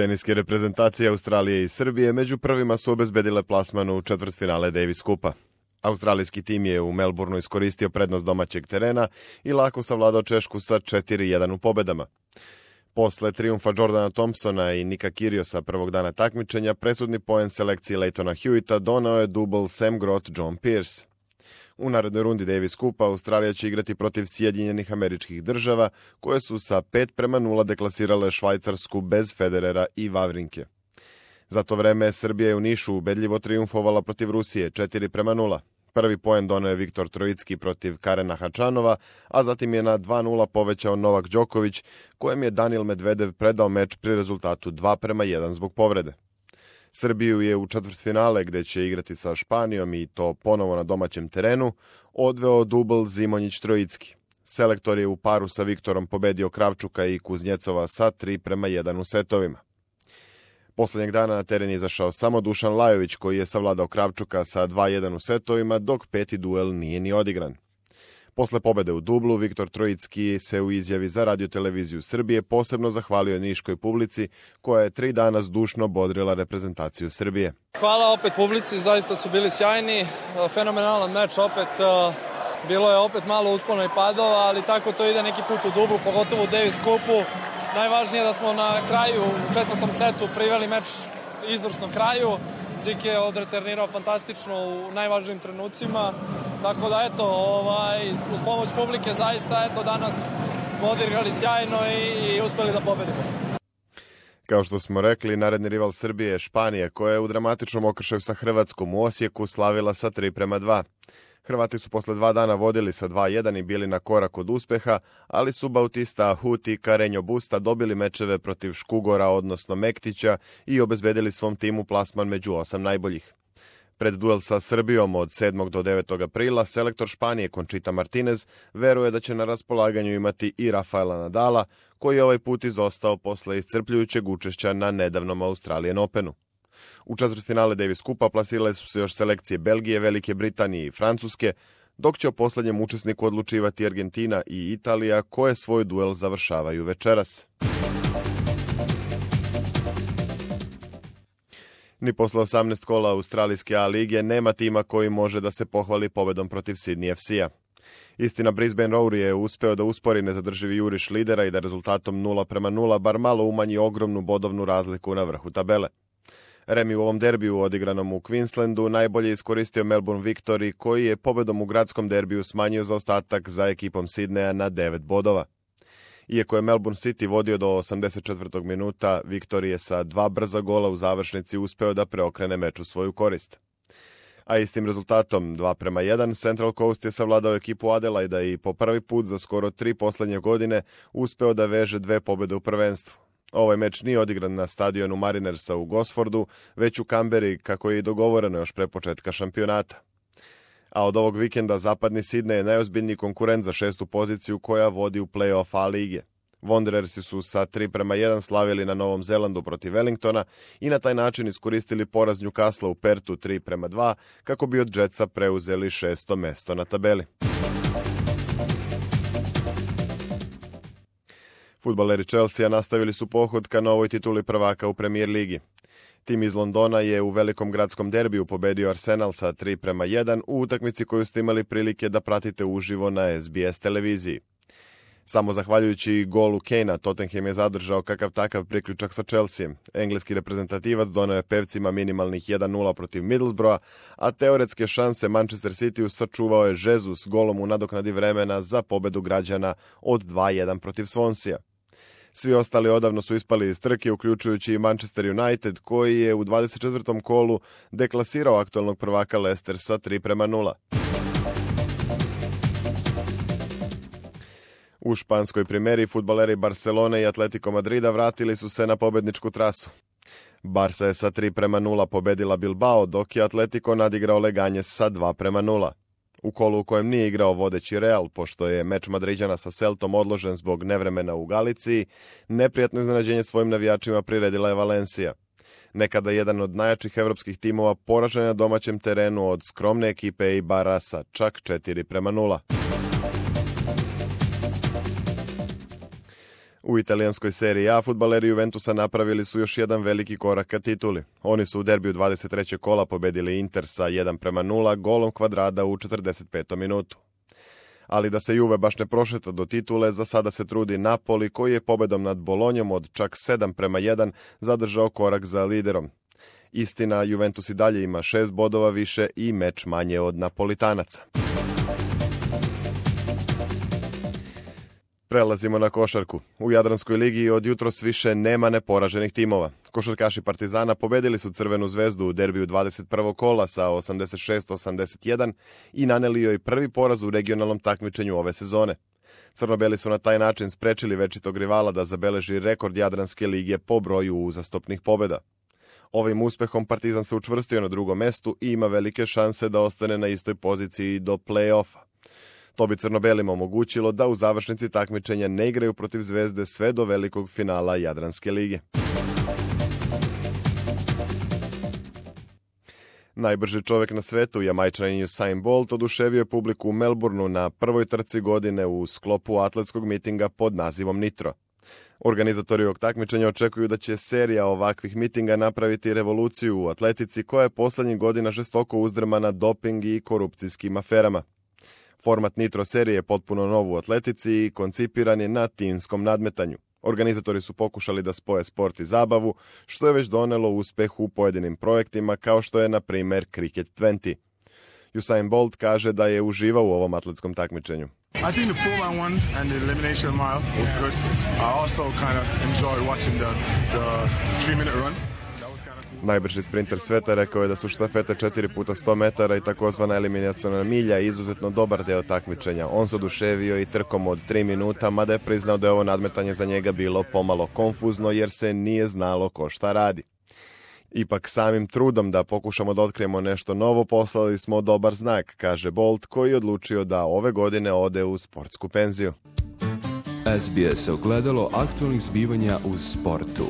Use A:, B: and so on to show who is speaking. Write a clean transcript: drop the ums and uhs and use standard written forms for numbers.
A: Teniske reprezentacije Australije i Srbije među prvima su obezbedile plasman u četvrtfinale Davis Kupa. Australijski tim je u Melbourneu iskoristio prednost domaćeg terena i lako savladao Češku sa 4-1 u pobedama. Posle trijumfa Jordana Thompsona i Nika Kyrgiosa prvog dana takmičenja, presudni poen selekcije Leightona Hewita donao je dubl Sam Groth-John Peers. U narednoj rundi Davis Kupa Australija će igrati protiv Sjedinjenih Američkih Država, koje su sa 5-0 deklasirale Švajcarsku bez Federera i Vavrinke. Za to vreme Srbija je u Nišu ubedljivo trijumfovala protiv Rusije 4-0. Prvi poen doneo je Viktor Trojicki protiv Karena Hačanova, a zatim je na 2-0 povećao Novak Đoković, kojem je Danil Medvedev predao meč pri rezultatu 2-1 zbog povrede. Srbiju je u četvrtfinale, gde će igrati sa Španijom i to ponovo na domaćem terenu, odveo dubl Zimonjić-Trojicki. Selektor je u paru sa Viktorom pobedio Kravčuka i Kuznjecova sa 3-1 u setovima. Poslednjeg dana na teren je izašao samo Dušan Lajović, koji je savladao Kravčuka sa 2-1 u setovima, dok peti duel nije ni odigran. Posle pobede u dublu, Viktor Trojicki se u izjavi za radioteleviziju Srbije posebno zahvalio niškoj publici, koja je 3 dana zdušno bodrila reprezentaciju Srbije.
B: Hvala opet publici, zaista su bili sjajni, fenomenalan meč opet, bilo je opet malo uspona i padova, ali tako to ide neki put u dublu, pogotovo u Davis Kupu. Najvažnije je da smo na kraju, u četvrtom setu, priveli meč izvrsnom kraju. Zik je odretrenirao fantastično u najvažnijim trenucima. Tako da, uz pomoć publike zaista, danas smo odigrali sjajno i uspeli da pobedimo.
A: Kao što smo rekli, naredni rival Srbije je Španija, koja je u dramatičnom okršaju sa Hrvatskom u Osijeku slavila sa 3-2. Hrvati su posle 2 dana vodili sa 2-1 i bili na korak od uspeha, ali su Bautista Ahuti i Carreño Busta dobili mečeve protiv Škugora, odnosno Mektića, i obezbedili svom timu plasman među 8 najboljih. Pred duel sa Srbijom od 7. do 9. aprila, selektor Španije Conchita Martinez veruje da će na raspolaganju imati i Rafaela Nadala, koji je ovaj put izostao posle iscrpljujućeg učešća na nedavnom Australian Openu. U četvrtfinale Davis Kupa plasirale su se još selekcije Belgije, Velike Britanije i Francuske, dok će o poslednjem učesniku odlučivati Argentina i Italija, koje svoj duel završavaju večeras. Ni posle 18 kola Australijske A lige nema tima koji može da se pohvali pobedom protiv Sydney FC-a. Istina, Brisbane Roar je uspeo da uspori nezadrživi juriš lidera i da rezultatom 0-0 bar malo umanji ogromnu bodovnu razliku na vrhu tabele. Remi u ovom derbiju odigranom u Queenslandu najbolje iskoristio Melbourne Victory, koji je pobedom u gradskom derbiju smanjio zaostatak za ekipom Sidneja na 9 bodova. Iako je Melbourne City vodio do 84. minuta, Victory je sa 2 brza gola u završnici uspeo da preokrene meč u svoju korist. A istim rezultatom 2-1 Central Coast je savladao ekipu Adelaida i po prvi put za skoro 3 poslednje godine uspeo da veže 2 pobede u prvenstvu. Ovaj meč nije odigran na stadionu Marinersa u Gosfordu, već u Kamberi, kako je i dogovoreno još pre početka šampionata. A od ovog vikenda zapadni Sidney je najozbiljniji konkurent za 6. poziciju koja vodi u play-off A lige. Wanderersi su sa 3-1 slavili na Novom Zelandu protiv Wellingtona i na taj način iskoristili poraz Newcastle u Pertu 3-2 kako bi od Jetsa preuzeli 6. mesto na tabeli. Fudbaleri Chelsea nastavili su pohod ka novoj tituli prvaka u Premier ligi. Tim iz Londona je u velikom gradskom derbiju pobedio Arsenal sa 3-1 u utakmici koju ste imali prilike da pratite uživo na SBS televiziji. Samo zahvaljujući golu Kanea, Tottenham je zadržao kakav takav priključak sa Chelseaem. Engleski reprezentativac doneo je pevcima minimalnih 1-0 protiv Middlesbrougha, a teoretske šanse Manchester City sačuvao je Jesus golom u nadoknadi vremena za pobedu građana od 2-1 protiv Swansea. Svi ostali odavno su ispali iz trke, uključujući i Manchester United, koji je u 24. kolu deklasirao aktualnog prvaka Leicester sa 3-0. U španskoj primeri fudbaleri Barcelone i Atletico Madrida vratili su se na pobedničku trasu. Barca je sa 3-0 pobedila Bilbao, dok je Atletico nadigrao Leganjes sa 2-0. U kolu u kojem nije igrao vodeći Real, pošto je meč Madriđana sa Celtom odložen zbog nevremena u Galiciji, neprijatno iznenađenje svojim navijačima priredila je Valencia. Nekada jedan od najjačih evropskih timova poražen na domaćem terenu od skromne ekipe Eibara sa čak 4-0. U italijanskoj seriji A fudbaleri Juventusa napravili su još jedan veliki korak ka tituli. Oni su u derbiju 23. kola pobedili Inter sa 1:0 golom Kvadrada u 45. minutu. Ali da se Juve baš ne prošeta do titule, za sada se trudi Napoli koji je pobedom nad Bolonjom od čak 7:1 zadržao korak za liderom. Istina, Juventus i dalje ima 6 bodova više i meč manje od Napolitanaca. Prelazimo na košarku. U Jadranskoj ligi od jutros više nema neporaženih timova. Košarkaši Partizana pobedili su Crvenu zvezdu u derbiju 21. kola sa 86-81 i naneli joj prvi poraz u regionalnom takmičenju ove sezone. Crnobeli su na taj način sprečili večitog rivala da zabeleži rekord Jadranske lige po broju uzastopnih pobeda. Ovim uspehom Partizan se učvrstio na drugom mestu i ima velike šanse da ostane na istoj poziciji do play-offa. To bi Crnobelima omogućilo da u završnici takmičenja ne igraju protiv Zvezde sve do velikog finala Jadranske lige. Najbrži čovjek na svetu, Jamajčanin Usain Bolt, oduševio je publiku u Melbourneu na prvoj trci godine u sklopu atletskog mitinga pod nazivom Nitro. Organizatori ovog takmičenja očekuju da će serija ovakvih mitinga napraviti revoluciju u atletici koja je poslednjih godina žestoko uzdrmana doping i korupcijskim aferama. Format Nitro serije je potpuno nov u atletici i koncipiran je na timskom nadmetanju. Organizatori su pokušali da spoje sport i zabavu, što je već donelo uspeh u pojedinim projektima kao što je, na primer, Cricket 20. Usain Bolt kaže da je uživao u ovom atletskom takmičenju.
C: I think the 4x1 and the elimination mile was good. I also kind of enjoyed watching the 3-minute run.
A: Najbrži sprinter sveta rekao je da su štafete 4x100 metara i takozvana eliminaciona milja izuzetno dobar deo takmičenja. On se oduševio i trkom od 3 minuta, mada je priznao da je ovo nadmetanje za njega bilo pomalo konfuzno jer se nije znalo ko šta radi. Ipak samim trudom da pokušamo da otkrijemo nešto novo poslali smo dobar znak, kaže Bolt, koji je odlučio da ove godine ode u sportsku penziju.
D: SBS ogledalo aktualnih zbivanja u sportu.